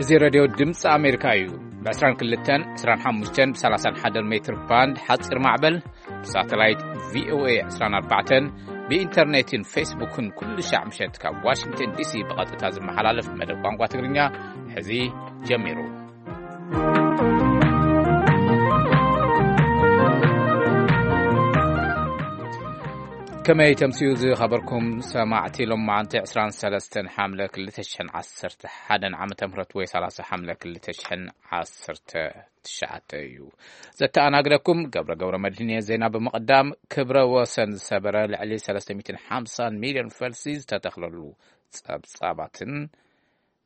እዚ ሬድዮ ድምፂ ኣሜሪካ እዩ። ብ22፣ 25፣ ብ31 ሜትር ባንድ ሓፂር ማዕበል፣ ብሳተላይት ቪ ኦ ኤ 24፣ ብኢንተርኔትን ፌስቡክን ኩሉ ሻዕ ምሸት ካብ ዋሽንግተን ዲ ሲ ብቐጥታ ዝመሓላለፍ መደብ ቋንቋ ትግርኛ ሕዚ ጀሚሩ። ከመይ ተምስዩ ዝኸበርኩም ሰማዕቲ፣ ሎም መዓንቲ 23 ሓምለ 2011 ዓመተ ምህረት ወይ 30 ሓምለ 2019 እዩ። ዘተኣናግደኩም ገብረ ገብረ መድህን እየ። ዜና ብምቕዳም፣ ክብረ ወሰን ዝሰበረ ልዕሊ 350 ሚልዮን ፈልሲ ዝተተኽለሉ ጸብጻባትን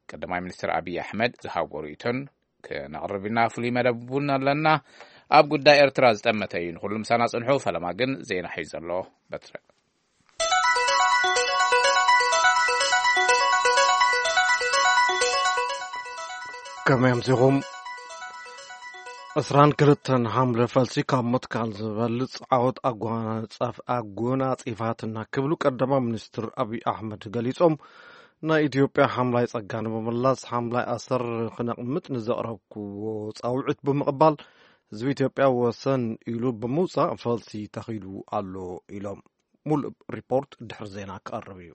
ቀዳማይ ሚኒስትር ኣብይ ኣሕመድ ዝሃብዎ ርእይቶን ክነቕርብ ኢና። ፍሉይ መደብ እውን ኣለና። ኣብ ጉዳይ ኤርትራ ዝጠመተ እዩ። ንኹሉ ምሳና ጽንሑ። ፈለማ ግን ዜና ሒዙ ዘሎ በትረ። ከመይ ኣምሲኹም? 22 ሓምለ ፈልሲ ካብ ምትካል ዝበልጽ ዓወት ኣጓናጻፍ-፣ ኣጎናጺፋትና ክብሉ ቀዳማይ ሚኒስትር ኣብይ ኣሕመድ ገሊጾም። ናይ ኢትዮጵያ ሓምላይ ጸጋ ንምምላስ ሓምላይ ኣሰር ክነቕምጥ ንዘቕረብክዎ ጻውዒት ብምቕባል፣ ህዝቢ ኢትዮጵያ ወሰን ኢሉ ብምውጻእ ፈልሲ ተኺሉ ኣሎ ኢሎም። ሙሉእ ሪፖርት ድሕሪ ዜና ክቐርብ እዩ።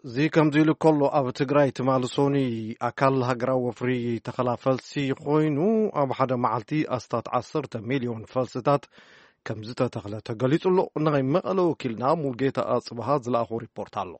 እዚ ከምዚ ኢሉ ከሎ፣ ኣብ ትግራይ ትማሊ ሶኒ ኣካል ሃገራዊ ወፍሪ ተኸላ ፈልሲ ኮይኑ፣ ኣብ ሓደ መዓልቲ ኣስታት 10 ሚልዮን ፈልስታት ከም ዝተተኽለ ተገሊጹ ኣሎ። ናይ መቐለ ወኪልና ሙልጌታ ኣጽብሃ ዝለኣኾ ሪፖርት ኣሎ።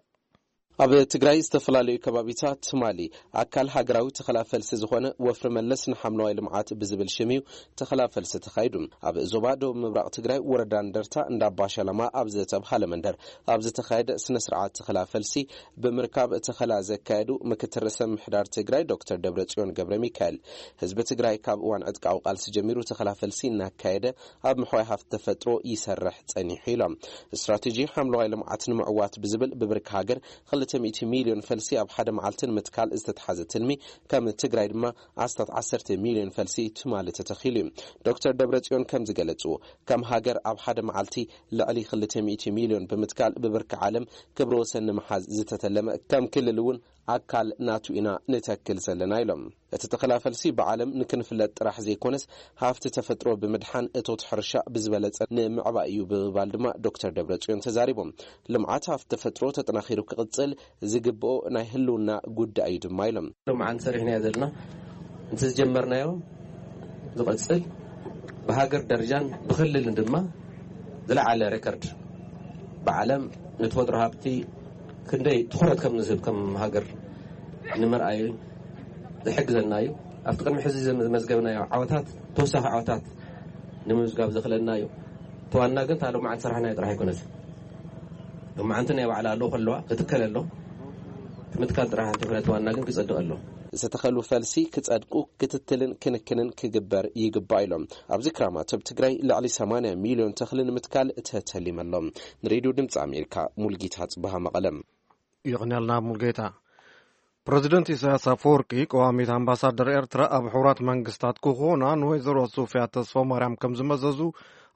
ኣብ ትግራይ ዝተፈላለዩ ከባቢታት ትማሊ ኣካል ሃገራዊ ተኸላ ፈልሲ ዝኾነ ወፍሪ መለስ ንሓምለዋይ ልምዓት ብዝብል ሽም እዩ ተኸላ ፈልሲ ተኻይዱ። ኣብ ዞባ ደቡብ ምብራቕ ትግራይ ወረዳ እንደርታ እንዳባሸለማ ኣብ ዝተብሃለ መንደር ኣብ ዝተኻየደ ስነ ስርዓት ተኸላ ፈልሲ ብምርካብ ተኸላ ዘካየዱ ምክትል ርእሰ ምምሕዳር ትግራይ ዶክተር ደብረጽዮን ገብረ ሚካኤል፣ ህዝቢ ትግራይ ካብ እዋን ዕጥቃዊ ቃልሲ ጀሚሩ ተኸላ ፈልሲ እናካየደ ኣብ ምሕዋይ ሃፍቲ ተፈጥሮ ይሰርሕ ጸኒሑ ኢሎም። ስትራቴጂ ሓምለዋይ ልምዓት ንምዕዋት ብዝብል ብብርኪ ሃገር 200 ሚልዮን ፈልሲ ኣብ ሓደ መዓልቲ ንምትካል ዝተትሓዘ ትልሚ፣ ከም ትግራይ ድማ ኣስታት 10 ሚልዮን ፈልሲ ትማሊ ተተኺሉ እዩ። ዶክተር ደብረጽዮን ከም ዝገለጽዎ፣ ከም ሃገር ኣብ ሓደ መዓልቲ ልዕሊ 200 ሚልዮን ብምትካል ብብርኪ ዓለም ክብረ ወሰን ንምሓዝ ዝተተለመ፣ ከም ክልል እውን ኣካል ናቱ ኢና ንተክል ዘለና ኢሎም። እቲ ተኸላ ፈልሲ ብዓለም ንክንፍለጥ ጥራሕ ዘይኮነስ፣ ሃፍቲ ተፈጥሮ ብምድሓን እቶት ሕርሻ ብዝበለጸ ንምዕባይ እዩ ብምባል ድማ ዶክተር ደብረጽዮን ተዛሪቦም። ልምዓት ሃፍቲ ተፈጥሮ ተጠናኺሩ ክቕጽል ዝግብኦ ናይ ህልውና ጉዳይ እዩ ድማ ኢሎም። ሎማዓንቲ ሰሪሕናዮ ዘለና፣ እንተ ዝጀመርናዮ ዝቐጽል፣ ብሃገር ደረጃን ብክልልን ድማ ዝለዓለ ሬከርድ ብዓለም ንተፈጥሮ ሃብቲ ክንደይ ትኹረት ከም ንህብ ከም ሃገር ንምርኣይ ዝሕግዘና እዩ። ኣብቲ ቅድሚ ሕዚ ዝመዝገብናዮ ዓወታት ተወሳኺ ዓወታት ንምምዝጋብ ዘኽእለና እዩ። እቲ ዋና ግን እታ ሎማዓንቲ ሰራሕናዮ ጥራሕ ኣይኮነትን። ሎማዓንቲ ናይ ባዕላ ኣለዎ ከለዋ ክትከል ኣሎ። እቲ ምትካል ጥራሕ እንተይኮነ እቲ ዋና ግን ክጸድቕ ኣሎ። ዝተተኸሉ ፈልሲ ክጸድቁ ክትትልን ክንክንን ክግበር ይግባእ ኢሎም። ኣብዚ ክራማት ኣብ ትግራይ ልዕሊ 80 ሚልዮን ተኽሊ ንምትካል ተተሊመ ኣሎ። ንሬድዮ ድምፂ ኣሜሪካ ሙልጌታ ጽበሃ መቐለም። ይቕንያልና ሙልጌታ። ፕረዚደንት ኢሳያስ ኣፈወርቂ ቀዋሚት ኣምባሳደር ኤርትራ ኣብ ሕቡራት መንግስታት ክኾና ንወይዘሮ ሶፊያ ተስፋ ማርያም ከም ዝመዘዙ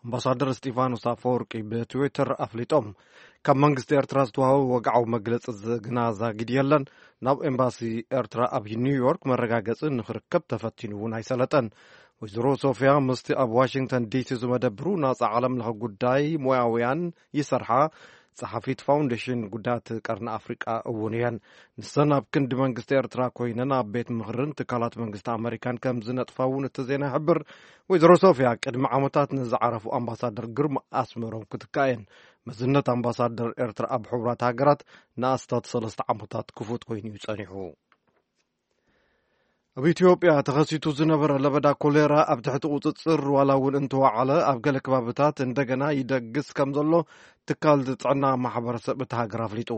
ኣምባሳደር እስጢፋኖስ ኣፈወርቂ ብትዊተር ኣፍሊጦም። ካብ መንግስቲ ኤርትራ ዝተዋህበ ወግዓዊ መግለጺ ዝግና ዛጊድ የለን። ናብ ኤምባሲ ኤርትራ ኣብ ኒውዮርክ መረጋገጺ ንኽርከብ ተፈቲኑ እውን ኣይሰለጠን። ወይዘሮ ሶፊያ ምስቲ ኣብ ዋሽንግተን ዲሲ ዝመደብሩ ናጻ ዓለም ለኸ ጉዳይ ሞያውያን ይሰርሓ ጸሓፊት ፋውንዴሽን ጉዳያት ቀርኒ ኣፍሪቃ እውን እየን። ንሰን ኣብ ክንዲ መንግስቲ ኤርትራ ኮይነን ኣብ ቤት ምኽርን ትካላት መንግስቲ ኣመሪካን ከም ዝነጥፋ እውን እቲ ዜና ይሕብር። ወይዘሮ ሶፊያ ቅድሚ ዓመታት ንዝዓረፉ ኣምባሳደር ግርማ ኣስመሮም ክትካእ እየን። መዝነት ኣምባሳደር ኤርትራ ኣብ ሕቡራት ሃገራት ንኣስታት ሰለስተ ዓመታት ክፉት ኮይኑ እዩ ጸኒሑ። ኣብ ኢትዮጵያ ተኸሲቱ ዝነበረ ለበዳ ኮሌራ ኣብ ትሕቲ ቁጽጽር ዋላ እውን እንተወዓለ፣ ኣብ ገለ ከባብታት እንደገና ይደግስ ከም ዘሎ ትካል ጥዕና ማሕበረሰብ እታ ሃገር ኣፍሊጡ።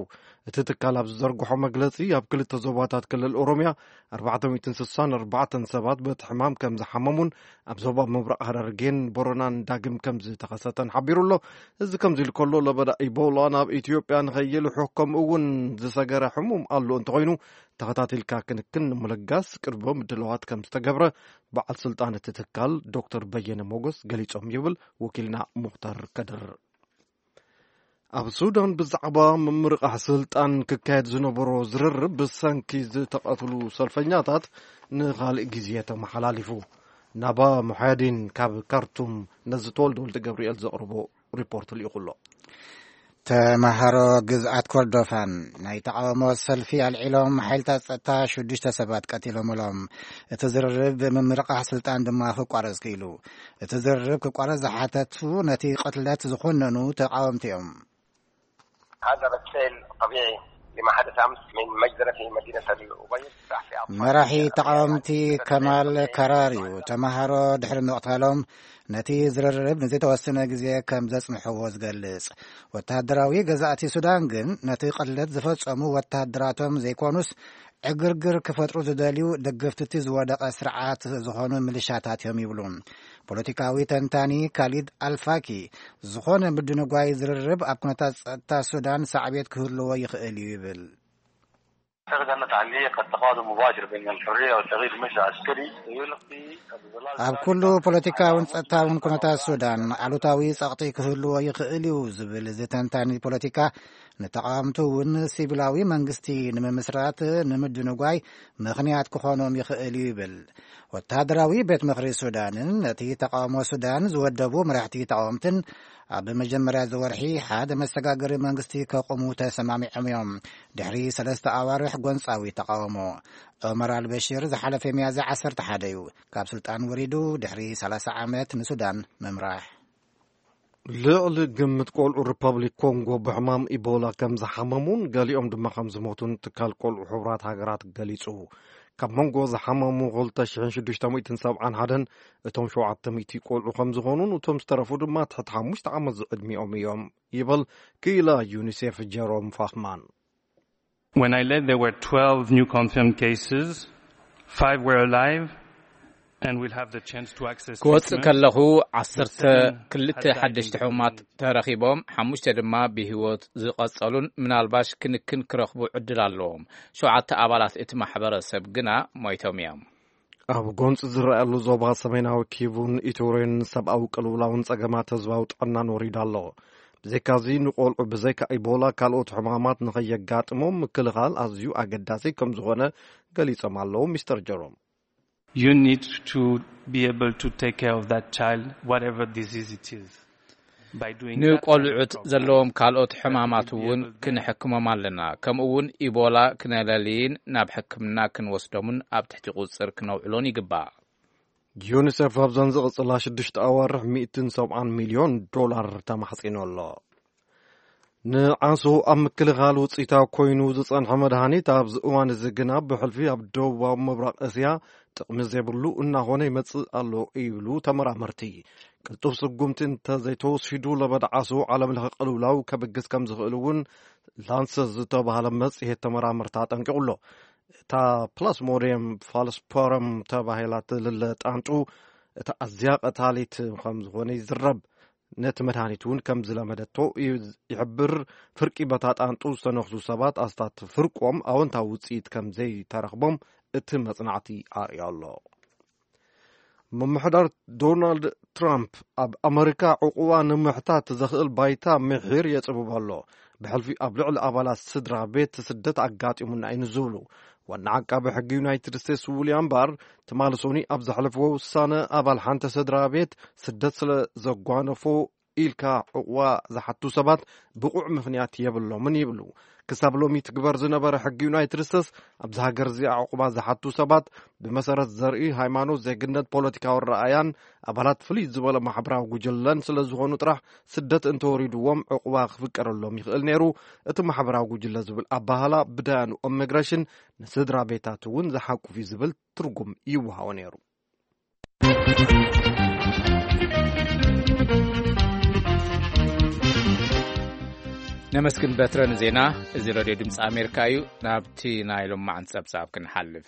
እቲ ትካል ኣብ ዝዘርግሖ መግለጺ፣ ኣብ ክልተ ዞባታት ክልል ኦሮሚያ 464 ሰባት በቲ ሕማም ከም ዝሓመሙን ኣብ ዞባ ምብራቕ ሃረርጌን ቦረናን ዳግም ከም ዝተኸሰተን ሓቢሩ ኣሎ። እዚ ከምዚ ኢሉ ከሎ፣ ለበዳ ኢቦላ ናብ ኢትዮጵያ ንኸይልሑ ከምኡ እውን ዝሰገረ ሕሙም ኣሎ እንተኾይኑ፣ ተኸታቲልካ ክንክን ንምልጋስ ቅድመ ምድላዋት ከም ዝተገብረ በዓል ስልጣን እቲ ትካል ዶክተር በየነ ሞገስ ገሊጾም ይብል ወኪልና ሙኽታር ከድር። ኣብ ሱዳን ብዛዕባ ምምርቓሕ ስልጣን ክካየድ ዝነበሮ ዝርርብ ብሰንኪ ዝተቐትሉ ሰልፈኛታት ንኻልእ ግዜ ተመሓላሊፉ። ናባ ሙሓያዲን ካብ ካርቱም ነዚ ተወልደ ወልደ ገብርኤል ዘቕርቦ ሪፖርት ልኢኹ ኣሎ። ተመሃሮ ግዝኣት ኮርዶፋን ናይ ተቓውሞ ሰልፊ ኣልዒሎም፣ ሓይልታት ጸጥታ ሽዱሽተ ሰባት ቀቲሎምሎም። እቲ ዝርርብ ብምምርቓሕ ስልጣን ድማ ክቋረጽ ክኢሉ። እቲ ዝርርብ ክቋረጽ ዝሓተቱ ነቲ ቅትለት ዝኾነኑ ተቓወምቲ እዮም። هذا رد فعل طبيعي لما حدث أمس من مجزرة في مدينة الأبيض. መራሒ ተቓወምቲ ከማል ከራር እዩ። ተመሃሮ ድሕሪ ምቕታሎም ነቲ ዝርርብ ንዝተወሰነ ግዜ ከም ዘጽንሕዎ ዝገልጽ። ወተሃደራዊ ገዛእቲ ሱዳን ግን ነቲ ቅትለት ዝፈጸሙ ወተሃደራቶም ዘይኮኑስ ዕግርግር ክፈጥሩ ዝደልዩ ደገፍቲ እቲ ዝወደቐ ስርዓት ዝኾኑ ሚሊሻታት እዮም ይብሉ። ፖለቲካዊ ተንታኒ ካሊድ ኣልፋኪ ዝኾነ ምድንጓይ ዝርርብ ኣብ ኩነታት ጸጥታ ሱዳን ሳዕቤት ክህልዎ ይኽእል እዩ ይብል። تغدنت عملية قد تقادم مباشر بين الحرية والتغيير المجلس العسكري ويلقي الظلال ኣብ ኩሉ ፖለቲካውን ጸጥታውን ኩነታት ሱዳን ኣሉታዊ ጸቕጢ ክህልዎ ይኽእል እዩ ዝብል እዚ ተንታኒ ፖለቲካ፣ ንተቓወምቲ እውን ሲቪላዊ መንግስቲ ንምምስራት ንምድንጓይ ምኽንያት ክኾኖም ይኽእል እዩ ይብል። ወተሃደራዊ ቤት ምኽሪ ሱዳንን ነቲ ተቓውሞ ሱዳን ዝወደቡ መራሕቲ ተቓወምትን ኣብ መጀመርያ እዚ ወርሒ ሓደ መሰጋገሪ መንግስቲ ከቑሙ ተሰማሚዖም እዮም። ድሕሪ ሰለስተ ኣዋርሕ ጎንጻዊ ተቓውሞ፣ ዑመር ኣልበሽር ዝሓለፈ ሚያዝያ ዓሰርተ ሓደ እዩ ካብ ስልጣን ወሪዱ ድሕሪ ሰላሳ ዓመት ንሱዳን ምምራሕ። ልዕሊ ግምት ቆልዑ ሪፐብሊክ ኮንጎ ብሕማም ኢቦላ ከም ዝሓመሙን ገሊኦም ድማ ከም ዝሞቱን ትካል ቆልዑ ሕቡራት ሃገራት ገሊጹ። ካብ መንጎ ዝሓመሙ ክልተ ሽሕን ሽዱሽተ ሚእትን ሰብዓን ሓደን እቶም ሸውዓተ ሚእቲ ቆልዑ ከም ዝኾኑን እቶም ዝተረፉ ድማ ትሕቲ ሓሙሽተ ዓመት ዝዕድሚኦም እዮም ይብል ክኢላ ዩኒሴፍ ጀሮም ፋኽማን። When I left, there were twelve new confirmed cases, five were alive, and we'll have the chance to access ክወጽእ treatment. ከለኹ ዓሰርተ ክልተ ሓደሽቲ ሕሙማት ተረኺቦም፣ ሓሙሽተ ድማ ብህይወት ዝቐጸሉን ምናልባሽ ክንክን ክረኽቡ ዕድል ኣለዎም። ሸውዓተ ኣባላት እቲ ማሕበረሰብ ግና ሞይቶም እዮም። ኣብ ጎንፂ ዝረኣየሉ ዞባ ሰሜናዊ ኪቡን ኢቶሬን ሰብኣዊ ቅልውላውን ጸገማት ህዝባዊ ጥዕናን ወሪዱ ኣሎ። ብዘይካዚ ንቆልዑ ብዘይካ ኢቦላ ካልኦት ሕማማት ንኸየጋጥሞም ምክልኻል ኣዝዩ ኣገዳሲ ከም ዝኾነ ገሊጾም ኣለዉ ሚስተር ጀሮም። You need to be able to take care of that child, whatever disease it is, by doing that kind of ንቆልዑት program. ዘለዎም ካልኦት ሕማማት እውን ክንሕክሞም ኣለና። ከምኡ እውን ኢቦላ ክነለልይን ናብ ሕክምና ክንወስዶምን ኣብ ትሕቲ ቁጽር ክነውዕሎን ይግባእ። ዩኒሴፍ ኣብዘን ዝቕጽላ ሽዱሽተ ኣዋርሕ ሚእትን ሰብዓን ሚልዮን ዶላር ተማሕጺኑ ኣሎ። ንዓሶ ኣብ ምክልኻል ውጽኢታዊ ኮይኑ ዝጸንሐ መድሃኒት ኣብዚ እዋን እዚ ግና ብሕልፊ ኣብ ደቡባዊ ምብራቕ እስያ ጥቕሚ ዘይብሉ እናኾነ ይመጽእ ኣሎ ይብሉ ተመራመርቲ። ቅልጡፍ ስጉምቲ እንተዘይተወሲዱ ለበዳ ዓሶ ዓለም ለኸ ቅልውላው ከብግስ ከም ዝኽእል እውን ላንሰት ዝተባህለ መጽሔት ተመራመርቲ ኣጠንቂቑ ኣሎ። እታ ፕላስሞዲየም ፋልስፖረም ተባሂላ ትልለ ጣንጡ እታ ኣዝያ ቀታሊት ከም ዝኾነ ይዝረብ። ነቲ መድሃኒት እውን ከም ዝለመደቶ ይሕብር። ፍርቂ በታ ጣንጡ ዝተነኽሱ ሰባት ኣስታት ፍርቆም ኣወንታዊ ውፅኢት ከም ዘይተረኽቦም እቲ መጽናዕቲ ኣርእዮ ኣሎ። ምምሕዳር ዶናልድ ትራምፕ ኣብ ኣመሪካ ዕቑባ ንምሕታት ዘኽእል ባይታ ምሒር የጽብብ ኣሎ። ብሕልፊ ኣብ ልዕሊ ኣባላት ስድራ ቤት ስደት ኣጋጢሙና እዩ ንዝብሉ ዋና ዓቃቢ ሕጊ ዩናይትድ ስቴትስ ዊልያም ባር ትማሊ ሶኒ ኣብ ዘሕለፍዎ ውሳነ ኣባል ሓንቲ ስድራ ቤት ስደት ስለ ዘጓነፎ ኢልካ ዕቑባ ዝሓቱ ሰባት ብቑዕ ምኽንያት የብሎምን ይብሉ። ክሳብ ሎሚ ትግበር ዝነበረ ሕጊ ዩናይትድ ስቴትስ ኣብዚ ሃገር እዚኣ ዕቑባ ዝሓቱ ሰባት ብመሰረት ዘርኢ፣ ሃይማኖት፣ ዜግነት፣ ፖለቲካዊ ረኣያን ኣባላት ፍልይ ዝበለ ማሕበራዊ ጉጅለን ስለ ዝኾኑ ጥራሕ ስደት እንተወሪድዎም ዕቑባ ክፍቀደሎም ይኽእል ነይሩ። እቲ ማሕበራዊ ጉጅለ ዝብል ኣባህላ ብዳያኑ ኢሚግሬሽን ንስድራ ቤታት እውን ዝሓቁፍ እዩ ዝብል ትርጉም ይወሃቦ ነይሩ። ነመስግን በትረ ንዜና። እዚ ሬድዮ ድምፂ ኣሜሪካ እዩ። ናብቲ ናይ ሎማዕን ጸብጻብ ክንሓልፍ።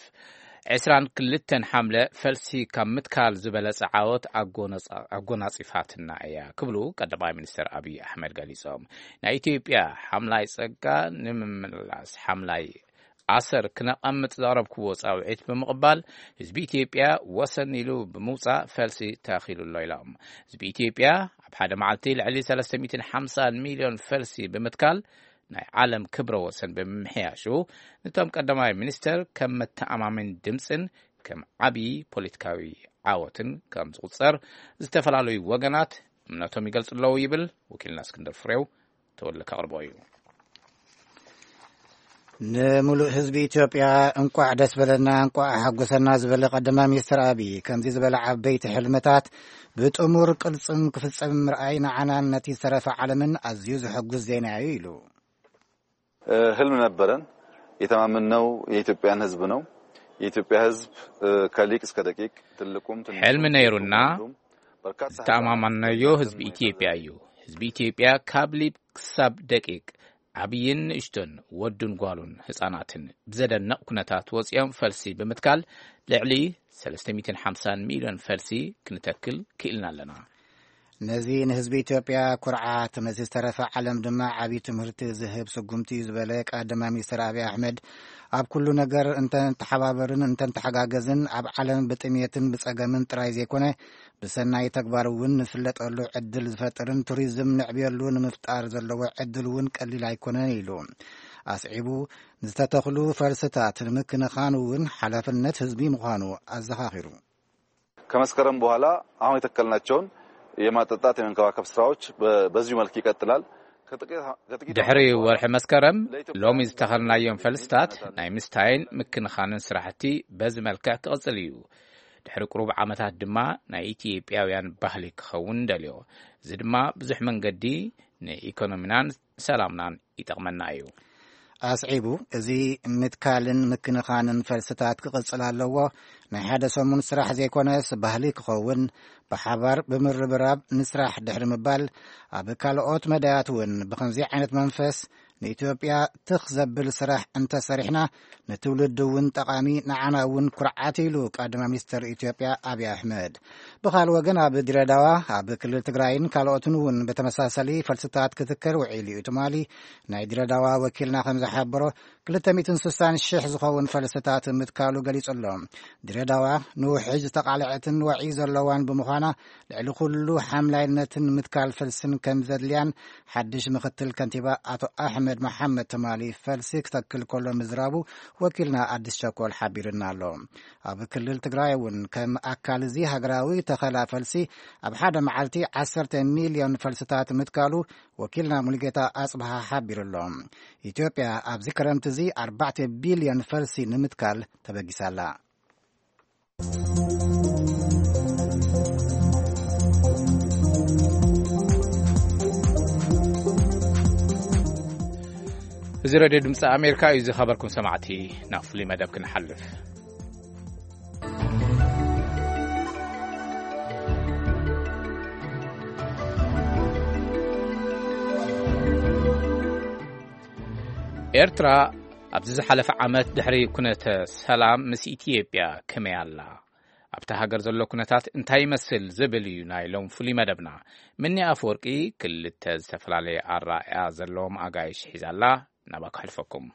ዕስራን ክልተን ሓምለ ፈልሲ ካብ ምትካል ዝበለጸ ዓወት ኣጎነጻ-፣ ኣጎናጺፋትና እያ ክብሉ ቀዳማይ ሚኒስትር ኣብይ ኣሕመድ ገሊጾም። ናይ ኢትዮጵያ ሓምላይ ጸጋ ንምምላስ ሓምላይ ኣሰር ክነቐምጥ ዘቕረብክዎ ጻውዒት ብምቕባል፣ ህዝቢ ኢትዮጵያ ወሰን ኢሉ ብምውጻእ ፈልሲ ተኺሉ ኣሎ ኢሎም። ህዝቢ ኢትዮጵያ ኣብ ሓደ መዓልቲ ልዕሊ ሰለስተ ሚእትን ሓምሳን ሚልዮን ፈልሲ ብምትካል ናይ ዓለም ክብረ ወሰን ብምምሕያሹ፣ ነቶም ቀዳማይ ሚኒስተር ከም መተኣማመኒ ድምጽን ከም ዓብዪ ፖለቲካዊ ዓወትን ከም ዝቑጸር ዝተፈላለዩ ወገናት እምነቶም ይገልጹ ኣለዉ ይብል ወኪልና እስክንድር ፍሬው። ተወልደ ከቕርቦ እዩ። ንምሉእ ህዝቢ ኢትዮጵያ እንቋዕ ደስ በለና፣ እንቋዕ ሓጎሰና ዝበለ ቀዳማይ ሚኒስትር ኣብይ፣ ከምዚ ዝበለ ዓበይቲ ሕልምታት ብጥሙር ቅርጽም ክፍጸም ምርኣይ ንዓናን ነቲ ዝተረፈ ዓለምን ኣዝዩ ዘሐጉስ ዜና እዩ ኢሉ። ህልም ነበረን። የተማመንነው የኢትዮጵያን ህዝብ ነው። የኢትዮጵያ ህዝብ ከሊቅ እስከ ደቂቅ፣ ትልቁም ትንሹም፣ ሕልሚ ነይሩና። ሴቱም ወንዱም በርካታ ዝተኣማማንናዮ ህዝቢ ኢትዮጵያ እዩ። ህዝቢ ኢትዮጵያ ካብ ሊብ ክሳብ ደቂቅ፣ ዓብይን ንእሽቶን፣ ወዱን ጓሉን ህጻናትን ብዘደንቕ ኩነታት ወጺኦም ፈልሲ ብምትካል ልዕሊ ሰለስተ ሚእትን ሓምሳን ሚልዮን ፈልሲ ክንተክል ክኢልና ኣለና። ነዚ ንህዝቢ ኢትዮጵያ ኩርዓት፣ ነዚ ዝተረፈ ዓለም ድማ ዓብዪ ትምህርቲ ዝህብ ስጉምቲ እዩ ዝበለ ቀዳማይ ሚኒስትር ኣብይ ኣሕመድ፣ ኣብ ኩሉ ነገር እንተንተሓባበርን እንተንተሓጋገዝን ኣብ ዓለም ብጥሜትን ብጸገምን ጥራይ ዘይኮነ ብሰናይ ተግባር እውን ንፍለጠሉ ዕድል ዝፈጥርን ቱሪዝም ንዕብየሉ ንምፍጣር ዘለዎ ዕድል እውን ቀሊል ኣይኮነን ኢሉ። ኣስዒቡ፣ ዝተተኽሉ ፈልስታት ንምክንኻን እውን ሓላፍነት ህዝቢ ምዃኑ ኣዘኻኺሩ። ከመስከረም በኋላ አሁን የተከልናቸውን የማጠጣት የመንከባከብ ስራዎች በዚሁ መልክ ይቀጥላል። ድሕሪ ወርሒ መስከረም ሎሚ ዝተኸልናዮም ፈልስታት ናይ ምስታይን ምክንኻንን ስራሕቲ በዚ መልክዕ ክቕጽል እዩ። ድሕሪ ቁሩብ ዓመታት ድማ ናይ ኢትዮጵያውያን ባህሊ ክኸውን ደልዮ። እዚ ድማ ብዙሕ መንገዲ ንኢኮኖሚናን ሰላምናን ይጠቕመና እዩ። ኣስዒቡ፣ እዚ ምትካልን ምክንኻንን ፈልስታት ክቕጽል ኣለዎ። ናይ ሓደ ሰሙን ስራሕ ዘይኮነስ ባህሊ ክኸውን፣ ብሓባር ብምርብራብ ንስራሕ ድሕሪ ምባል፣ ኣብ ካልኦት መዳያት እውን ብኸምዚ ዓይነት መንፈስ ንኢትዮጵያ ትኽ ዘብል ስራሕ እንተሰሪሕና ንትውልዲ እውን ጠቓሚ፣ ንዓና እውን ኩርዓት ኢሉ ቀዳማይ ሚኒስትር ኢትዮጵያ ኣብይ ኣሕመድ። ብኻልእ ወገን ኣብ ድሬዳዋ፣ ኣብ ክልል ትግራይን ካልኦትን እውን ብተመሳሳሊ ፈልስታት ክትከል ውዒሉ እዩ ትማሊ። ናይ ድሬዳዋ ወኪልና ከም ዝሓበሮ ክልተ ሚእትን ስሳን ሽሕ ዝኸውን ፈልስታት ምትካሉ ገሊጹ ኣሎ። ድሬዳዋ ንውሕጅ ዝተቓልዐትን ወዒ ዘለዋን ብምዃና ልዕሊ ኩሉ ሓምላይነትን ምትካል ፈልስን ከም ዘድልያን ሓድሽ ምኽትል ከንቲባ ኣቶ ኣሕመድ መሓመድ ትማሊ ፈልሲ ክተክል ከሎ ምዝራቡ ወኪልና ኣዲስ ቸኮል ሓቢርና ኣሎ። ኣብ ክልል ትግራይ እውን ከም ኣካል እዚ ሃገራዊ ተኸላ ፈልሲ ኣብ ሓደ መዓልቲ ዓሰርተ ሚልዮን ፈልስታት ምትካሉ ወኪልና ሙሉጌታ ኣጽብሃ ሓቢሩ ኣሎ። ኢትዮጵያ ኣብዚ ክረምቲ እዚ ኣርባዕተ ቢልዮን ፈልሲ ንምትካል ተበጊሳ ኣላ። እዚ ሬድዮ ድምፂ ኣሜሪካ እዩ። ዝኸበርኩም ሰማዕቲ፣ ናብ ፍሉይ መደብ ክንሓልፍ። ኤርትራ ኣብዚ ዝሓለፈ ዓመት ድሕሪ ኩነተ ሰላም ምስ ኢትዮጵያ ከመይ ኣላ? ኣብታ ሃገር ዘሎ ኩነታት እንታይ ይመስል ዝብል እዩ ናይ ሎም ፍሉይ መደብና። ምኒ ኣፈወርቂ ክልተ ዝተፈላለየ ኣራእያ ዘለዎም ኣጋይሽ ሒዛላ። ናባካ ሕልፈኩም።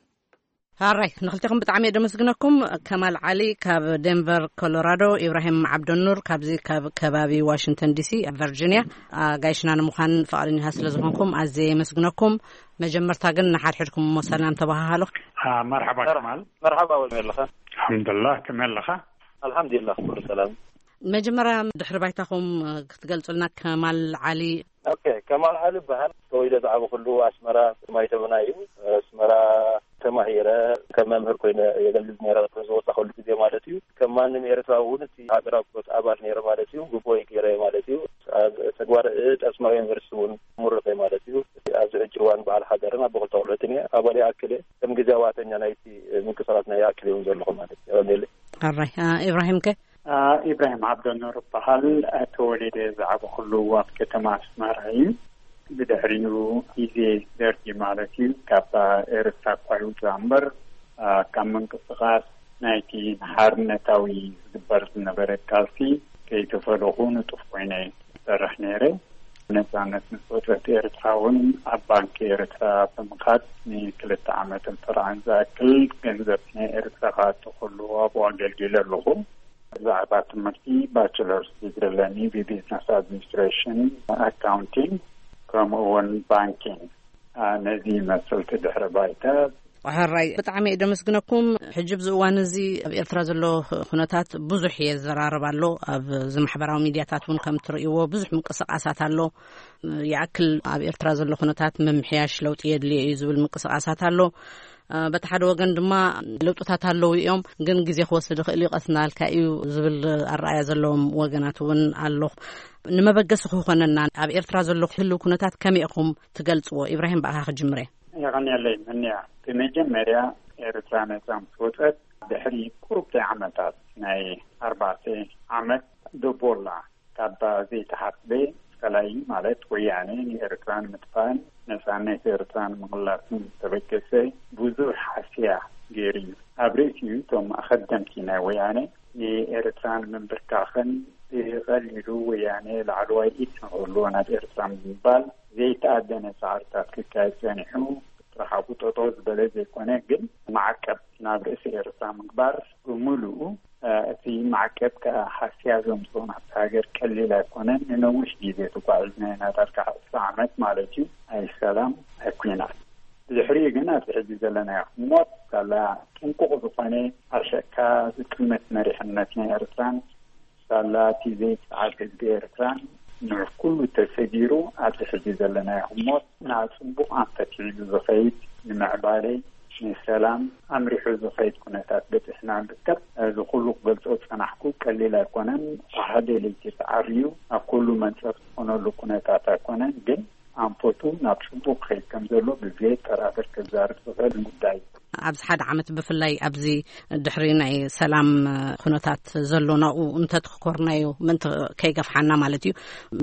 ሃራይ ንክልቴኹም ብጣዕሚ እየ ደመስግነኩም። ከማል ዓሊ ካብ ዴንቨር ኮሎራዶ፣ ኢብራሂም ዓብደኑር ካብዚ ካብ ከባቢ ዋሽንግተን ዲሲ ቨርጂኒያ፣ ኣጋይሽና ንምዃን ፈቓደኛ ስለ ዝኾንኩም ኣዝየ የመስግነኩም። መጀመርታ ግን ንሓድሕድኩም እሞ ሰላም ተባሃሃሉ። መርሓባ ከማል። መርሓባ ወልሚ ኣለኻ? ኣልሓምዱላ፣ ከመይ ኣለኻ? ኣልሓምዱላ ኩሉ ሰላም። መጀመርያ ድሕሪ ባይታኹም ክትገልጹልና ከማል ዓሊ። ኦኬ፣ ከማል ዓሊ ይበሃል። ተወሊደ ዝዓበኹሉ ኣስመራ ማይተብና እዩ። ኣስመራ ተማሂረ ከም መምህር ኮይነ የገልግል ነይረ ዝወፃኹሉ ግዜ ማለት እዩ። ከም ማንም ኤርትራዊ እውን እቲ ኣድራጎት ኣባል ነይረ ማለት እዩ። ግቦይ ገይረ ማለት እዩ። ኣብ ተግባር እድ ኣስመራ ዩኒቨርሲቲ እውን ምሩቕ እየ ማለት እዩ። ኣብዚ ሕጂ እዋን በዓል ሓዳርን ኣቦ ክልተ ቆልዑትን እየ። ኣባል ይኣክል እየ። ከም ግዜ ዋተኛ ናይቲ ምንቅስቃስ ናይ ይኣክል እውን ዘለኹ ማለት እዩ። ኣራይ። ኢብራሂም ከ? ኢብራሂም ዓብደኑር እበሃል። ተወሊደ ዝዓበኹሉ ኣብ ከተማ ኣስመራ እዩ። ብድሕሪኡ ግዜ ደርጊ ማለት እዩ ካብ ኤርትራ እኳ ይውፃእ እምበር ካብ ምንቅስቃስ ናይቲ ንሓርነታዊ ዝግበር ዝነበረ ቃልሲ ከይተፈለኹ ንጡፍ ኮይነ ዝሰርሕ ነይረ። ነጻነት ምስ ወጸት ኤርትራ እውን ኣብ ባንኪ ኤርትራ ብምኻድ ንክልተ ዓመትን ፈርዓን ዝኣክል ገንዘብ ናይ ኤርትራ ክኣቱ ከሎ ኣብኡ ኣገልጊለ ኣለኹ። ብዛዕባ ትምህርቲ ባችለርስ ዲግሪ ኣለኒ ብቢዝነስ ኣድሚኒስትሬሽን፣ ኣካውንቲንግ፣ ከምኡ እውን ባንኪንግ። ነዚ ይመስል እቲ ድሕረ ባይታ። ሕራይ፣ ብጣዕሚ እየ ደመስግነኩም። ሕጂ ኣብዚ እዋን እዚ ኣብ ኤርትራ ዘሎ ኩነታት ብዙሕ እየ ዘራርብ ኣሎ። ኣብ እዚ ማሕበራዊ ሚድያታት እውን ከም ትርእይዎ ብዙሕ ምንቅስቃሳት ኣሎ። ይኣክል ኣብ ኤርትራ ዘሎ ኩነታት ምምሕያሽ፣ ለውጢ የድልዮ እዩ ዝብል ምንቅስቃሳት ኣሎ። በቲ ሓደ ወገን ድማ ለውጥታት ኣለዉ እዮም፣ ግን ግዜ ክወስድ ይኽእል እዩ፣ ቀስ እናበልካ እዩ ዝብል ኣረኣያ ዘለዎም ወገናት እውን ኣሎ። ንመበገሲ ክኾነና ኣብ ኤርትራ ዘሎ ህልው ኩነታት ከመይ ኢኹም ትገልጽዎ? ኢብራሂም፣ ብኣኻ ክጅምር እየ። የቐንየለይ ምንያ። ብመጀመርያ፣ ኤርትራ ነጻ ምስ ወጸት ድሕሪ ቁሩብ ዓመታት፣ ናይ ኣርባዕተ ዓመት ደቦላ፣ ካብ ዘይተሓስበ ጸላኢ ማለት ወያነ ንኤርትራ ንምጥፋእን ነጻነት ኤርትራ ንምቕላስን ዝተበገሰ ብዙሕ ሓስያ ገይሩ እዩ። ኣብ ርእሲኡ፣ እቶም ኣኸደምቲ ናይ ወያነ ንኤርትራ ንምንብርካኽን ብቐሊሉ ወያነ ላዕለዋይ ኢድ ንክህልዎ ናብ ኤርትራ ንምባል ዘይተኣደነ ጻዕርታት ክካየድ ጸኒሑ፣ ጥራሕ ኣብኡ ጠጠው ዝበለ ዘይኮነ፣ ግን ማዕቀብ ናብ ርእሲ ኤርትራ ምግባር ብምሉኡ፣ እ፣ እቲ ማዕቀብ ከኣ ሃስያ ዘምጽኦ ናብቲ ሃገር ቀሊል ኣይኮነን። ንነዊሕ ግዜ ተጓዒዝና ኢና፣ ዳርጋ ዕስራ ዓመት ማለት እዩ፣ ኣይ ሰላም ኣይ ኩናት። ብድሕሪኡ ግን ኣብዚ ሕጂ ዘለናዮ ህሞት ሳላ ጥንቁቕ ዝኾነ፣ ኣብ ሸካ ዝጥምት መሪሕነት ናይ ኤርትራን ሳላ እቲ ዘይጸዓድ ህዝቢ ኤርትራን ንዕኩሉ ተሰጊሩ፣ ኣብዚ ሕጂ ዘለናዮ ህሞት ናብ ጽቡቕ ኣንፈት ሒዙ ዝኸይድ፣ ንመዕባለ፣ ንሰላም ኣምሪሑ ዝኸይድ ኩነታት በጺሕና ንርከብ። እዚ ኩሉ ክገልጾ ዝጸናሕኩ ቀሊል ኣይኮነን። ጸሓደ ለይቲ ተዓርዩ ኣብ ኩሉ መንጸፍ ዝኾነሉ ኩነታት ኣይኮነን፣ ግን ኣንፈቱ ናብ ጽቡቕ ክኸይድ ከም ዘሎ ብዘየጠራጥር ክዛረብ ዝኽእል ጉዳይ እዩ። ኣብዚ ሓደ ዓመት፣ ብፍላይ ኣብዚ ድሕሪ ናይ ሰላም ኩነታት ዘሎ ናብኡ እንተትኽኮርናዮ ምእንቲ ከይገፍሓና ማለት እዩ።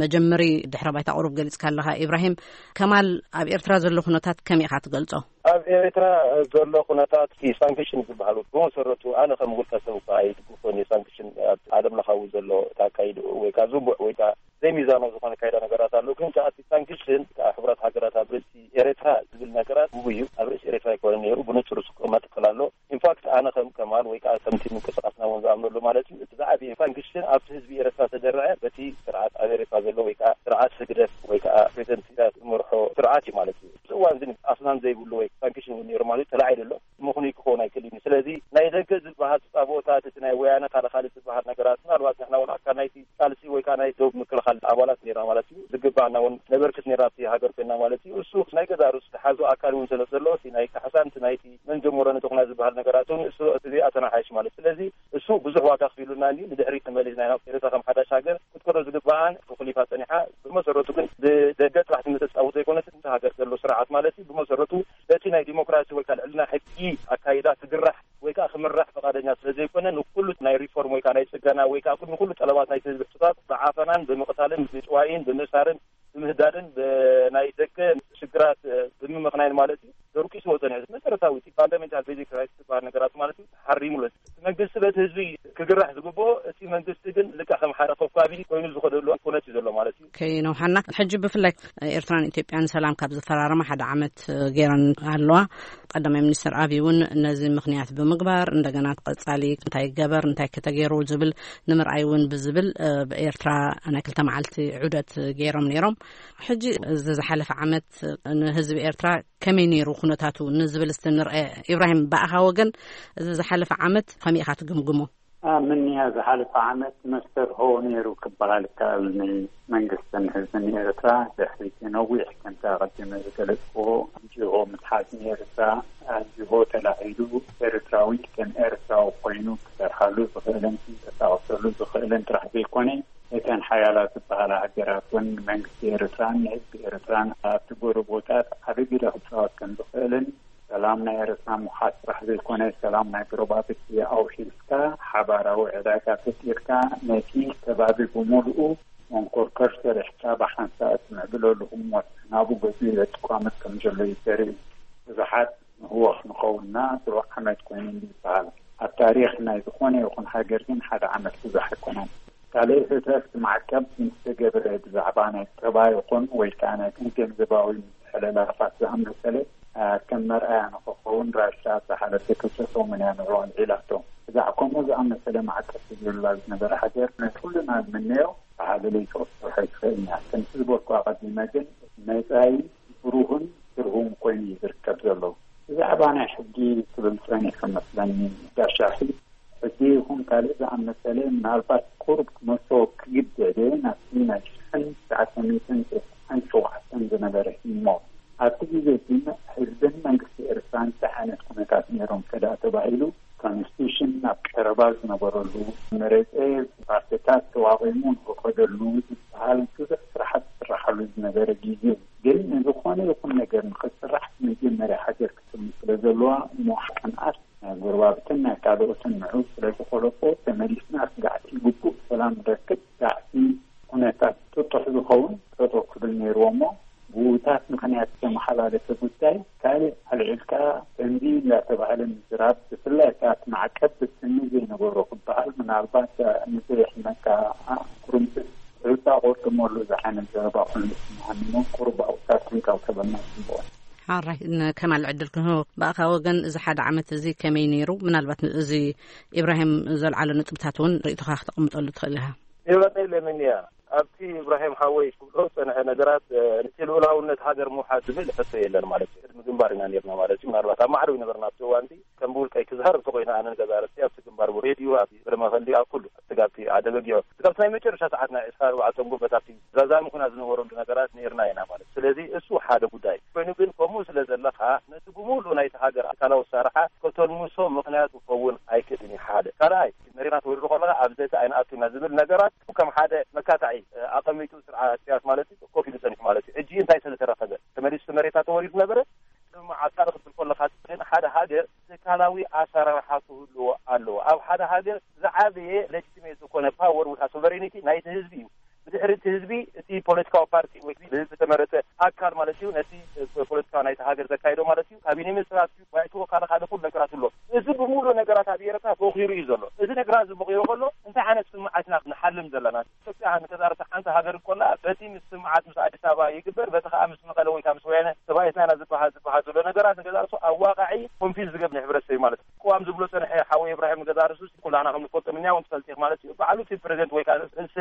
መጀመሪ ድሕረ ባይታ ቁሩብ ገሊጽካ ኣለኻ ኢብራሂም። ከማል፣ ኣብ ኤርትራ ዘሎ ኩነታት ከመይ ኢኻ ትገልጾ? ኣብ ኤርትራ ዘሎ ኩነታት፣ እቲ ሳንክሽን ዝበሃል፣ ብመሰረቱ ኣነ ከም ውልቀ ሰብ እኳ ኣይድግፎን እየ። ሳንክሽን ኣብ ዓለም ለኻዊ ዘሎ ኣካይድኡ ወይ ከዓ ዝንቡዕ ወይ ከዓ ዘይሚዛናዊ ዝኾነ ኣካይዳ ነገራት ኣሎ። ግን ከኣ እቲ ሳንክሽን፣ ከኣ ሕቡራት ሃገራት ኣብ ርእሲ ኤርትራ ዝብል ነገራት ግጉይ እዩ። ኣብ ርእሲ ኤርትራ ኣይኮነን ነይሩ፣ ብንጹር ዝቅመጥ ክል ኣሎ። ኢንፋክት ኣነ ከም ከማል ወይ ከኣ ከምቲ ምንቅስቃስና እውን ዝኣምነሉ ማለት እዩ፣ እቲ ዝዓበየ ሳንክሽን ኣብቲ ህዝቢ ኤርትራ ተደረዐ በቲ ስርዓት ኣብ ኤርትራ ዘሎ ወይ ከኣ ስርዓት ህግደፍ ወይ ከኣ ፕሬዚደንት ኢሳያስ ዝመርሖ ስርዓት እዩ ማለት እዩ። ኣብዚ እዋን ግን ኣስናን ዘይብሉ ወይ ሳንክሽን እውን ነይሩ ማለት እዩ፣ ተላዒሉ ኣሎ። ምኽኑይ ክኸውን ኣይክእልን እዩ። ስለዚ ናይ ደገ ዝበሃል ተጻብኦታት፣ እቲ ናይ ወያነ ካልእ ካልእ ዝበሃል ነገራት፣ ምናልባት ንሕና እውን ኣካል ናይቲ ቃልሲ ወይ ከዓ ናይ ዶብ ምክልኻል ኣባላት ነይርና ማለት እዩ። ዝግባእና እውን ነበርክት ነይርና ኣብቲ ሃገር ኮይንና ማለት እዩ። እሱ ናይ ገዛእ ርእሱ ዝሓዞ ኣካል እውን ስለ ዘሎ፣ እቲ ናይ ካሕሳን እቲ ናይቲ መን ጀመሮ ነቲ ኩናት ዝበሃል ነገራት እውን እሱ እቲ ዘይኣተናሓይሽ ማለት። ስለዚ እሱ ብዙሕ ዋጋ ኣኽፊሉና እንድዩ። ንድሕሪት ተመሊስና ኢና ኤርትራ ከም ሓዳሽ ሃገር ክትከዶ ዝግባኣን ተኹሊፋ ጸኒሓ። ብመሰረቱ ግን ብደገ ጥራሕ ትምተጻወት ዘይኮነስ፣ እቲ ሃገር ዘሎ ስርዓት ማለት እዩ። ብመሰረቱ በቲ ናይ ዲሞክራሲ ወይ ከዓ ልዕልና ሕጊ ኣካይዳ ክግራሕ ወይ ከዓ ክምራሕ ፈቃደኛ ስለ ዘይኮነ፣ ንኩሉ ናይ ሪፎርም ወይ ከዓ ናይ ጽገና ወይ ከዓ ንኩሉ ጠለባት ናይቲ ህዝቢ ሕቶታት ብዓፈናን ብምቕታልን ብጭዋይን ብምእሳርን ብምህዳድን ብናይ ደገ ሽግራት ብምምኽናይን ማለት እዩ፣ ደርቂስዎ ጸኒሑ። መሰረታዊ እቲ ፋንዳሜንታል ቤዚክ ራይትስ ዝበሃል ነገራት ማለት እዩ፣ ተሓሪሙ ኣሎ። እቲ መንግስቲ በቲ ህዝቢ ክግራሕ ዝግብኦ፣ እቲ መንግስቲ ግን ልክዕ ከም ሓደ ኮብካቢ ኮይኑ ዝኸደሉ ኩነት እዩ ዘሎ ማለት እዩ። ከይነውሓና፣ ሕጂ ብፍላይ ኤርትራን ኢትዮጵያን ሰላም ካብ ዝፈራረማ ሓደ ዓመት ገይረን ኣለዋ። ቀዳማይ ሚኒስትር ኣብይ እውን ነዚ ምኽንያት ብምግባር፣ እንደገና ቀጻሊ እንታይ ይገበር፣ እንታይ ከተገይሩ ዝብል ንምርኣይ እውን ብዝብል፣ እ፣ ብኤርትራ ናይ ክልተ መዓልቲ ዑደት ገይሮም ነይሮም። ሕጂ እዚ ዝሓለፈ ዓመት ንህዝቢ ኤርትራ ከመይ ነይሩ ኩነታቱ ንዝብል እስቲ ንርአ። ኢብራሂም፣ ብኣኻ ወገን እዚ ዝሓለፈ ዓመት ከመይ ኢኻ ትግምግሞ? ኣብ ምንያ ዝሓለፈ ዓመት መስተርሆ ነይሩ ክበሃል ይከኣል። ንመንግስትን ህዝብን ኤርትራ ድሕሪ እቲ ነዊሕ፣ ከምቲ ኣቐዲመ ዝገለጽክዎ፣ ኣንጂሆ ምትሓዝ ንኤርትራ ኣንጂሆ ተላዒሉ፣ ኤርትራዊ ከም ኤርትራዊ ኮይኑ ክሰርሓሉ ዝኽእልን ክንቀሳቐሰሉ ዝኽእልን ጥራሕ ዘይኮነ፣ እተን ሓያላት ዝበሃላ ሃገራት እውን ንመንግስቲ ኤርትራን ንህዝቢ ኤርትራን ኣብቲ ጎረቦታት ዓቢ ግደ ክጻወት ከም ዝኽእልን፣ ሰላም ናይ ኤርትራ ምውሓስ ጥራሕ ዘይኮነ፣ ሰላም ናይ ጎረባብቲ ኣውሒስካ ሓባራዊ ዕዳጋ ፈጢርካ ነቲ ከባቢ ብምሉኡ መንኮርኮር ሰሪሕካ ብሓንሳእ እትምዕብለሉ ህሞት ናብኡ ገጹ ይበጽሕ ክቋመት ከም ዘሎ እዩ ዘርኢ። ብዙሓት ንህወኽ ንኸውንና ሩብ ዓመት ኮይኑ ይበሃል። ኣብ ታሪኽ ናይ ዝኾነ ይኹን ሃገር ግን ሓደ ዓመት ብዙሕ ኣይኮነን። ካልእ ህተት ማዕቀብ ምስ ተገብረ ብዛዕባ ናይ ቀባ ይኹን ወይ ከዓ ናይ ገንዘባዊ ምትሕልላፋት ዝኣመሰለ ከም መርኣያ ንክኸውን ራሻ ዝሓለፈ ክልተ ሰሙን እያ ንዕኡ ኣልዒላቶ። ብዛዕባ ከምኡ ዝኣመሰለ ማዕቀብ ዝብላ ዝነበረ ሃገር ናይ ኩልና ዝምነዮ ብሓደ ለይተወሰኸ ይትኽእል እያ። ከምቲ ዝበልኩ ኣቐዲመ ግን መጻኢ ብሩህን ትርጉም ኮይኑ እዩ ዝርከብ ዘሎ። ብዛዕባ ናይ ሕጊ ክብል ጸኒሑ መስለኒ ጋሻኺ ሕጂ ይኹን ካልእ ዝኣመሰለ ምናልባት ቁሩብ ክመልሶ ክግደደ ናብቲ ናይ ሽሕን ትሽዓተ ሚእትን ተስዓን ሸውዓተን ዝነበረ እሞ ኣብቲ ግዜ ግን ህዝብን መንግስቲ ኤርትራ እንታይ ዓይነት ኩነታት ነይሮም ከዳ ተባሂሉ ኮንስቲቱሽን ናብ ቀረባ ዝነበረሉ መረፀ ፓርቲታት ተዋቒሙ ንክኸደሉ ዝበሃል ብዙሕ ስራሓት ዝስራሓሉ ዝነበረ ግዜ እዩ። ግን ንዝኾነ ይኹን ነገር ንክስራሕ መጀመርያ ሃገር ክትም ስለ ዘለዋ እሞ ሓቀንኣት ናይ ጎረባብትን ናይ ካልኦትን ንዑ ስለ ዝኮለፎ ተመሊስና ስጋዕቲ ግቡእ ሰላም ንረክብ ስጋዕቲ ኩነታት ጥጡሕ ዝኸውን ጠጠው ክብል ነይርዎ እሞ ብውታት ምክንያት ዝተመሓላለፈ ጉዳይ ካልእ ኣልዒልካ ከምዚ እንዳተባህለ ምዝራብ ብፍላይ ከኣ እቲ ማዕቀብ ብስኒ ዘይነበሮ ክበሃል ምናልባት ንዘየሕመካ ኩርምቲ ሩታ ቆርጥመሉ ዝዓይነት ዘረባ ኮይኑ ዝስምዓኒ እሞ ቁሩብ ኣብኡ ካብ ክንካው ተበልና ጽቡቕ። ሓራይ ከማል ዕድል ክንህቦ ብኣኻ ወገን እዚ ሓደ ዓመት እዚ ከመይ ነይሩ? ምናልባት እዚ ኢብራሂም ዘልዓሎ ነጥብታት እውን ርእይቶኻ ክተቐምጠሉ ትኽእል ኢኻ። ይበቀለምን እያ። ኣብቲ ኢብራሂም ሓወይ ክብሎ ዝጸንሐ ነገራት እቲ ልኡላውነት ሃገር ምውሓድ ዝብል ሕቶ የለን ማለት እዩ። ቅድሚ ግንባር ኢና ነርና ማለት እዩ። ምናልባት ኣብ ማዕረው ይነበርና ኣብቲ እዋንቲ ከም ብውልቀይ ክዝሃር እንተኮይነ ኣነ ንገዛ ርእሲ ኣብቲ ግንባር ብሬድዮ ኣብ ብረመኸሊ ኣብ ኩሉ ኣብቲ ጋብቲ ኣደበጊዮ እቲ ጋብቲ ናይ መጨረሻ ሰዓት ናይ ዕስራ ኣርባዕተ ጉበት ኣብቲ ዛዛሚ ኩና ዝነበረሉ ነገራት ነርና ኢና ማለት ስለዚ እሱ ሓደ ጉዳይ ኮይኑ ግን ከምኡ ስለ ዘለካ ነቲ ብምሉ ናይቲ ሃገር ኣካላዊ ኣሰራርሓ ከተልምሶ ምክንያት ክኸውን ኣይክእልን እዩ ሓደ ካልኣይ መሬና ተወሪሩ ከለካ ኣብ ዘተ ኣይንኣቱና ዝብል ነገራት ከም ሓደ መካታዒ ኣቐሚጡ ስርዓት ስያስ ማለት እዩ ኮፍ ኢሉ ጸኒሑ ማለት እዩ ሕጂ እንታይ ስለ ተረኸበ ተመሊሱ መሬታ ተወሪሩ ነበረ ስምምዓት ካልእ ክትብል ከለኻ ግን ሓደ ሃገር ትካላዊ ኣሰራርሓ ክህልዎ ኣለዎ ኣብ ሓደ ሃገር ዝዓበየ ሌጂቲሜት ዝኾነ ፓወር ወይ ከዓ ሶቨሬኒቲ ናይቲ ህዝቢ እዩ ብድሕሪ እቲ ህዝቢ እቲ ፖለቲካዊ ፓርቲ ወይ ብህዝቢ ዝተመረፀ ኣካል ማለት እዩ ነቲ ፖለቲካ ናይቲ ሃገር ዘካይዶ ማለት እዩ ካቢኔ ሚኒስትራት እዩ ባይቶ ካልእ ካልእ ኩሉ ነገራት ኣሎ እዚ ብምሉእ ነገራት ኣብ ኤርትራ ቦኺሩ እዩ ዘሎ እዚ ነገራት እዚ ቦኺሩ ከሎ እንታይ ዓይነት ስምምዓት ኢና ንሓልም ዘለና ኢትዮጵያ ንገዛርሳ ሓንቲ ሃገር እኮላ በቲ ምስ ስምዓት ምስ ኣዲስ ኣበባ ይግበር በቲ ከዓ ምስ መቐለ ወይ ከዓ ምስ ወያነ ተባኢትና ኢና ዝበሃል ዝበሃል ዘሎ ነገራት ንገዛርሱ ኣዋቃዒ ኮንፊዝ ዝገብር ሕብረተሰብ ማለት እዩ ቅዋም ዝብሎ ፀንሐ ሓወይ እብራሂም ንገዛርሱ ኩላና ከም ንፈልጦ ምንያ እውን ትፈልጢ ማለት እዩ ባዕሉ እቲ ፕሬዚደንት ወይ ከዓ ርእሰ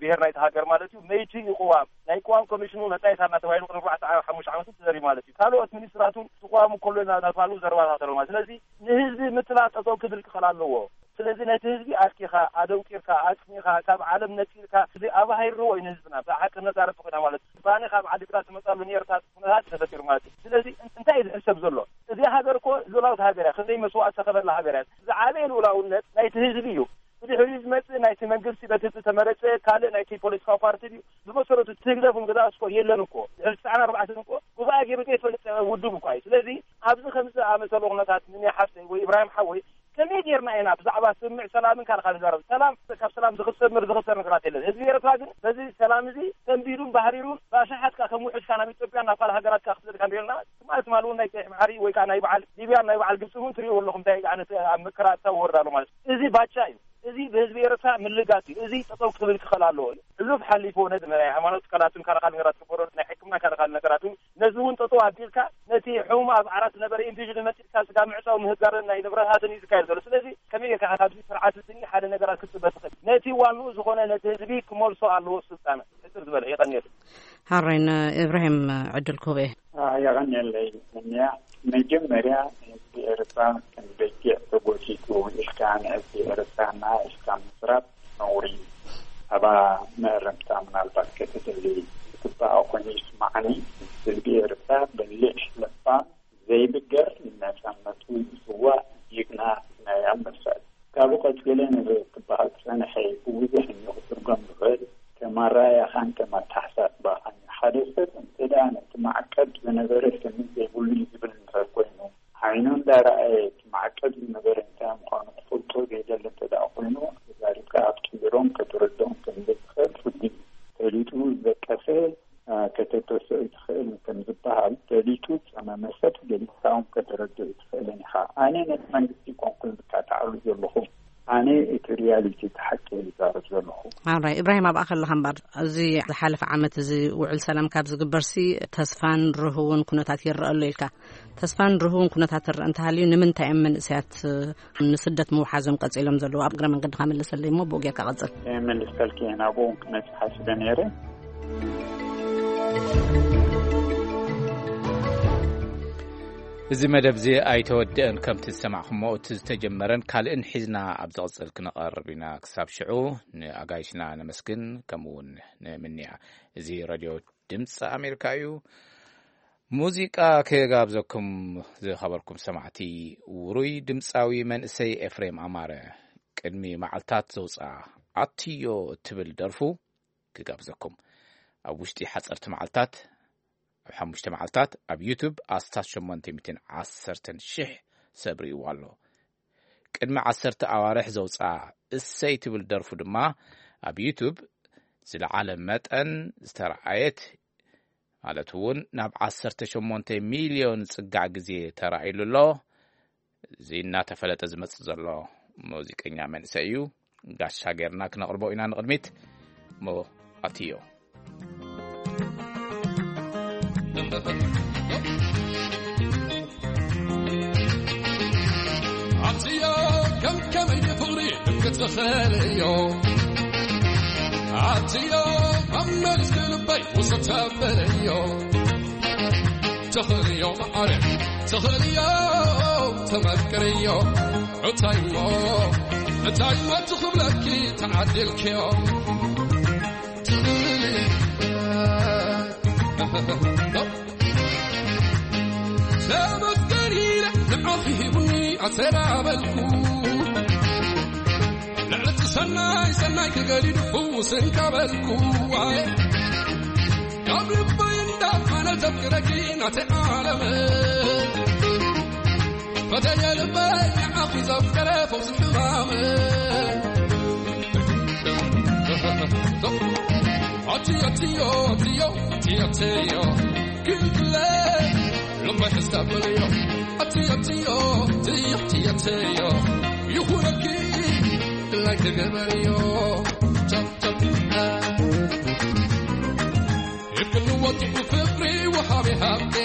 ብሄር ናይቲ ሃገር ማለት እዩ መይቲ እዩ ቅዋም ናይ ቅዋም ኮሚሽኑ ነፃ የታና ተባሂሉ ቅድሚ ኣርባዕተ ሓሙሽተ ዓመት ተዘሪ ማለት እዩ ካልኦት ሚኒስትራቱ ቅዋሙ ከሎ ናባሉ ዘረባታት ኣለዎ ማለት ስለዚ ንህዝቢ ምትላል ጠጠው ክብል ክኽእል ኣለዎ ስለዚ ነቲ ህዝቢ ኣስኪኻ ኣደንቂርካ ኣጽኒኻ ካብ ዓለም ነጺልካ እዚ ኣባሂርዎ እዩ ንህዝብና ብሓቂ ነጻረት ኮይና ማለት ባኒ ካብ ዓዲ ግራት ትመጻሉ ነርታት ኩነታት ተፈጢሩ ማለት እዩ ስለዚ እንታይ እዩ ዝሕሰብ ዘሎ እዚ ሃገር እኮ ሉላውት ሃገር እያ ክንደይ መስዋእት ዝተኸፈላ ሃገር እያ ዝዓበየ ሉላውነት ናይቲ ህዝቢ እዩ ብድሕሪኡ ዝመጽእ ናይቲ መንግስቲ በቲ ዝተመረጸ ካልእ ናይቲ ፖለቲካዊ ፓርቲ እዩ ብመሰረቱ ትህግደፍ እውን ገዛ እስኮ የለን እኮ ድሕሪ ትስዓን ኣርባዕተን እኮ ጉባኤ ገይሩ ዘይፈልጥ ውድብ እኳ እዩ ስለዚ ኣብዚ ከምዚ ኣመሰሉ ኩነታት ንኒ ሓፍተይ ወይ ኢብራሂም ሓወይ ከመይ ጌርና ኢና ብዛዕባ ስምምዕ ሰላምን ካልእ ካልእ ንዛረብ ሰላም ካብ ሰላም ዝኽሰብ ምር ዝኽሰር ነገራት የለን ህዝቢ ኤርትራ ግን በዚ ሰላም እዚ ተንቢዱን ባህሪሩን ብኣሽሓት ከኣ ከም ውሑድ ካብ ናብ ኢትዮጵያ ናብ ካልእ ሃገራት ከኣ ክስደድ ካብ ርኤና ትማሊ ትማሊ እውን ናይ ቀይሕ ባሕሪ ወይ ከዓ ናይ በዓል ሊብያን ናይ በዓል ግብፂ እውን ትሪእዎ ኣለኹም እንታይ ዓይነት ኣብ መከራ ኣታ ወርድ ኣሎ ማለት እዩ እዚ ባቻ እዩ እዚ ብህዝቢ ኤርትራ ምልጋስ እዩ እዚ ጠጠው ክብል ክኽእል ኣለዎ እዩ ሕሉፍ ሓሊፍዎ ነዚ ናይ ሃይማኖት ትካላትን ካልእ ካልእ ነገራት ክበሮ ናይ ሕክምና ካልእ ካልእ ነገራት እውን ነዚ እውን ጠጠው ኣቢልካ ነቲ ሕሙም ኣብ ዓራት ዝነበረ ኢንፊዥን መፂእካ ስጋ ምዕፃው ምህጋርን ናይ ንብረታትን እዩ ዝካየድ ዘሎ ስለዚ ከመይ ጌርካ ኢኻ ካብዚ ስርዓት እዚ ሓደ ነገራት ክትፅበ ትኽእል ነቲ ዋንኡ ዝኾነ ነቲ ህዝቢ ክመልሶ ኣለዎ ስልጣን ሕፅር ዝበለ የቐንየሉ ሃረይን እብራሂም ዕድል ክህቦ እየ የቐንየለይ ምንያ መጀመርያ ንህዝቢ ኤርትራ ከም በጊዕ ተጎቲቱ ኢልካ ንህዝቢ ኤርትራ እና ኢልካ ምስራት ነውሪ እዩ። ኣባ መእረምታ ምናልባት ከተደሊ ዝግባኣ ኮይኑ ይስማዓኒ። ህዝቢ ኤርትራ በሊሕ ለባም ዘይብገር ንነጻነቱ ዝስዋእ ጅግና ናይ ኣንበሳ እዩ። ካብኡ ቀጺለ ነዚ ክበሃል ዝጸንሐ ብብዙሕ እምኒ ክትርጎም ዝኽእል ከም ኣረኣእያኻን ከም ኣተሓሳስባኻን እዩ። ሓደ ሰብ እንተ ደኣ ነቲ ማዕቀብ ዝነበረ ስኒ ዘይብሉ እዩ ዝብል እንድሕር ኮይኑ ዓይኑ እንዳረኣየ እቲ ማዕቀብ ዝነበረ እንታይ ምዃኑ ክፈልጦ ዘይደሊ እንተ ደኣ ኮይኑ ተዛሪብካ ኣትቂሮም ከተረድኦም ከም ዘይትኽእል ፍሉይ እዩ። ፈሊጡ ዝደቀሰ ከተተስኦ ኣይትኽእልን ከም ዝበሃል ፈሊጡ ዝጸመመ ሰብ ገሊጽካ እውን ከተረድኦ ኣይትኽእልን ኢኻ። ኣነ ነቲ መንግስቲ ኣይኮንኩን ዝካታዓሉ ዘለኹ። ኣነ እቲ ሪያሊቲ፣ እቲ ሓቂ እየ ዝዛረብ ዘለኹ። ኣራይ፣ ኢብራሂም፣ ኣብኣ ከለኻ እምበር፣ እዚ ዝሓለፈ ዓመት እዚ ውዕል ሰላም ካብ ዝግበርሲ፣ ተስፋን ርህውን ኩነታት ይረአ ኣሎ ኢልካ። ተስፋን ርህውን ኩነታት ትረአ እንተሃልዩ፣ ንምንታይ እዮም መንእሰያት ንስደት ምውሓዞም ቀጺሎም ዘለዉ? ኣብ እግረ መንገድኻ መልሰለይ እሞ፣ ብኡ ጌርካ ቀጽል። እየ መልሰልኪ እየ፣ ናብኡ እውን ክመጽእ ሓሲበ ነይረ። እዚ መደብ እዚ ኣይተወድአን። ከምቲ ዝሰማዕኹሞ፣ እቲ ዝተጀመረን ካልእን ሒዝና ኣብ ዝቕጽል ክንቐርብ ኢና። ክሳብ ሽዑ፣ ንኣጋይሽና ነመስግን፣ ከምኡ እውን ንምንያ። እዚ ሬድዮ ድምፂ ኣሜሪካ እዩ። ሙዚቃ ክጋብዘኩም፣ ዝኸበርኩም ሰማዕቲ፣ ውሩይ ድምፃዊ መንእሰይ ኤፍሬም ኣማረ ቅድሚ መዓልታት ዘውፅኣ ኣትዮ እትብል ደርፉ ክጋብዘኩም። ኣብ ውሽጢ ሓፀርቲ መዓልታት፣ ኣብ ሓሙሽተ መዓልታት ኣብ ዩቱብ ኣስታት ሸሞንተ ሚእትን ዓሰርተን ሽሕ ሰብ ርእይዎ ኣሎ። ቅድሚ ዓሰርተ ኣዋርሕ ዘውፅኣ እሰይ ትብል ደርፉ ድማ ኣብ ዩቱብ ዝለዓለ መጠን ዝተረኣየት፣ ማለት እውን ናብ ዓሰርተ ሸሞንተ ሚልዮን ዝፅጋዕ ግዜ ተራእይሉ ኣሎ። እዚ እናተፈለጠ ዝመፅእ ዘሎ ሙዚቀኛ መንእሰይ እዩ። ጋሻ ጌርና ክነቕርቦ ኢና ንቕድሚት። እሞ ኣትዮ። ኣትዮ ከም ከመይ ፍቕሪ ክትኽእልዮ፣ ኣትዮ ኣብ መልስ ልበይ ውሰድ ተብልዮ። ተኽእልዮ መዓረ፣ ተኽእልዮ ተመክርዮ። እታይሞ፣ እታይሞ ትኽብለኪ ተዓዲልክዮ። ተመስገን ኢለ ንዓኺ ሂቡኒ ኣሰላበልኩ። ልዕሊ እቲ ሰናይ ሰናይ ክገዲዱ ፍውስ እንካ በልኩ። ኣየ ካብ ልበይ እንዳፋነ ዘፍቅረኪ ናተይ ዓለም። ፈተየ ልበይ ንዓኺ ዘፍቀረ ፈውሲ ሕማም። ኣትዮ ኣትዮ ኣትዮ ኣትዮ ኣትዮ ክልክለ ልበይ ሕዝተብልዮ። ኣትዮ ኣትዮ ኣትዮ ኣትዮ ኣትዮ ይኹነልኪ ድላይ ተገበርዮ። ቻው ቻው። ሂብክኒ ወትሩ ፍቕሪ ወሃቢ ሃብቴ፣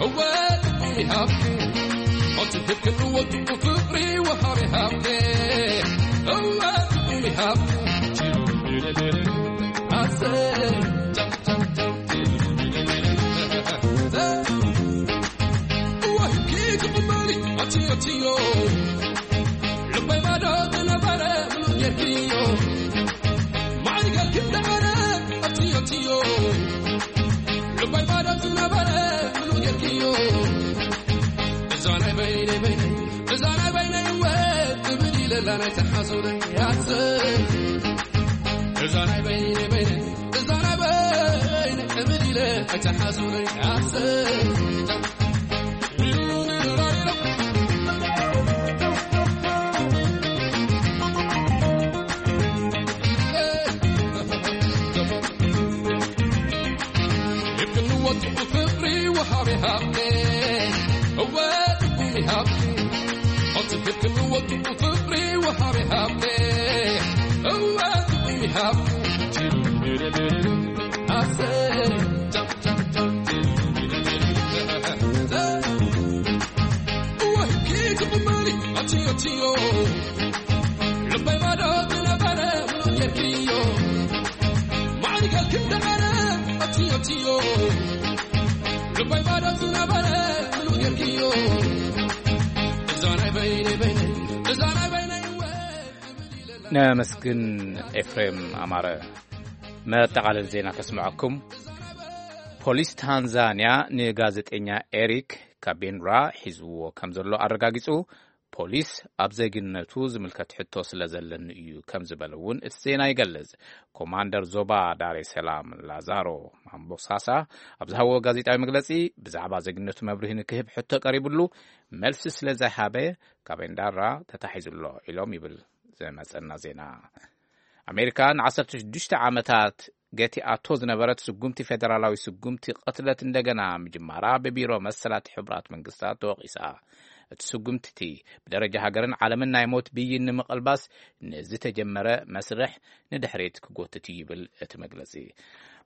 እወ ትቁሚ ሃብቴ። ኣቲ ሂብክኒ ወትሩ ፍቕሪ ወሃቢ ሃብቴ፣ እወ ትቁሚ ሃብቴ። ኣሰይ፣ ጨም፣ ጨም፣ ጨም። እወ ሂብኪ ትቕበሊ፣ ኣቲ፣ ኣትዮ። ልበይ ባዶ ዝነበረ ምሉእ ጌርክዮ። ማዕሪገ ክንደቐረ ኣትዮ ኣትዮ። ልበይ ባዶ ዝነበረ ምሉእ ጌርክዮ። እዛ ናይ በይነይ በይነይ፣ እዛ ናይ በይነይ እወ ትብል ኢለላ ናይ ተሓዙረይ ያዘ። እዛ ናይ በይነይ በይነይ፣ እዛ ናይ በይነይ ትብል ኢለ ኣይተሓዙረይ ያዘ። ይብክን ወትሩ ፍቕሪ ወሃቢ ሃብቴ፣ እወ ትኩኒ ሃብቴ። ኣቲ ይብክን ወትሩ ፍቕሪ ወሃቢ ሃብቴ፣ እወ ትኩኒ ሃብቴ። ኣሰይ፣ ጫም፣ ጫም፣ ጫም። ወሂብኪ ትቕበሊ ኣትዮ ኣትዮ። ልበይ ባዶ ዝነበረ ምሉእ ጌርክዮ። ማዕሪገልኪ እንዳቐረ ኣትዮ ኣትዮ። ልበይ ባዶ ዝነበረ ምሉእ ጌርክዮ። እዛ ናይ በይነይ በይነይ፣ እዛ ናይ በይነይ እወ። ነመስግን ኤፍሬም ኣማረ። መጠቓለሊ ዜና ከስምዐኩም። ፖሊስ ታንዛንያ ንጋዜጠኛ ኤሪክ ካቤንራ ሒዝዎ ከም ዘሎ ኣረጋጊጹ። ፖሊስ ኣብ ዜግነቱ ዝምልከት ሕቶ ስለ ዘለኒ እዩ ከም ዝበለ እውን እቲ ዜና ይገልጽ። ኮማንደር ዞባ ዳሬ ሰላም ላዛሮ ማምቦሳሳ ኣብ ዝሃብዎ ጋዜጣዊ መግለጺ፣ ብዛዕባ ዜግነቱ መብርሂ ንክህብ ሕቶ ቀሪብሉ፣ መልሲ ስለ ዘይሃበ ካቤንዳራ ተታሒዙ ኣሎ ኢሎም ይብል ዝመጸና ዜና። ኣሜሪካ ንዓሰርተ ሽዱሽተ ዓመታት ገቲኣቶ ዝነበረት ስጉምቲ ፌደራላዊ ስጉምቲ ቅትለት እንደገና ምጅማራ ብቢሮ መሰላት ሕቡራት መንግስታት ተወቒሳ። እቲ ስጉምቲ እቲ ብደረጃ ሃገርን ዓለምን ናይ ሞት ብይን ንምቕልባስ ንዝተጀመረ መስርሕ ንድሕሪት ክጎትት እዩ ይብል እቲ መግለጺ።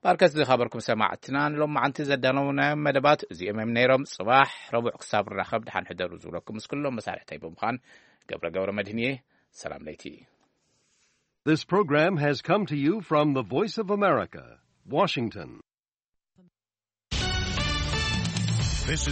ባርከት ዝኸበርኩም ሰማዕትና፣ ንሎማዓንቲ ዘዳለውናዮም መደባት እዚኦም እዮም ነይሮም። ጽባሕ ረቡዕ ክሳብ ንራኸብ ደሓን ሕደሩ ዝብለኩም ምስ ኩሎም መሳርሕተይ ብምዃን ገብረ ገብረ መድህን እየ። ሰላም ለይቲ። This program has come to you from the Voice of America, Washington. This is